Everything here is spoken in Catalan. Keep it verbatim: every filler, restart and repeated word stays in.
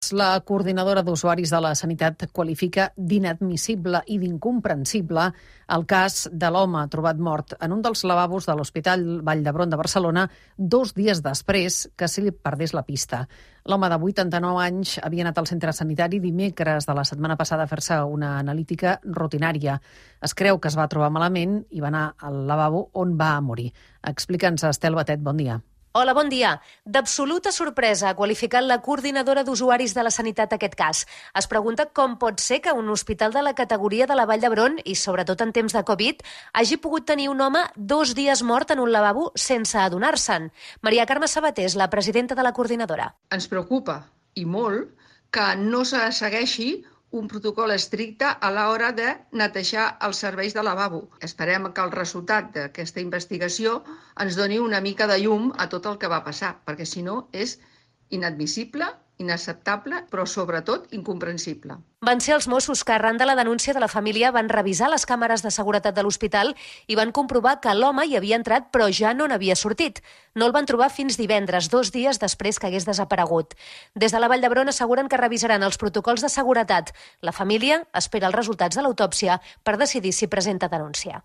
La coordinadora d'usuaris de la sanitat qualifica d'inadmissible i d'incomprensible el cas de l'home trobat mort en un dels lavabos de l'Hospital Vall d'Hebron de Barcelona dos dies després que se li perdés la pista. L'home de vuitanta-nou anys havia anat al centre sanitari dimecres de la setmana passada a fer-se una analítica rutinària. Es creu que es va trobar malament i va anar al lavabo on va morir. Explica'ns, Estel Batet, bon dia. Hola, bon dia. D'absoluta sorpresa ha qualificat la coordinadora d'usuaris de la sanitat aquest cas. Es pregunta com pot ser que un hospital de la categoria de la Vall d'Hebron, i sobretot en temps de Covid, hagi pogut tenir un home dos dies mort en un lavabo sense adonar-se'n. Maria Carme Sabater és la presidenta de la coordinadora. Ens preocupa, i molt, que no se segueixi un protocol estricte a l'hora de netejar els serveis de lavabo. Esperem que el resultat d'aquesta investigació ens doni una mica de llum a tot el que va passar, perquè si no és inadmissible, inacceptable, però sobretot incomprensible. Van ser els Mossos que, arran de la denúncia de la família, van revisar les càmeres de seguretat de l'hospital i van comprovar que l'home hi havia entrat però ja no n'havia sortit. No el van trobar fins divendres, dos dies després que hagués desaparegut. Des de la Vall d'Hebron asseguren que revisaran els protocols de seguretat. La família espera els resultats de l'autòpsia per decidir si presenta denúncia.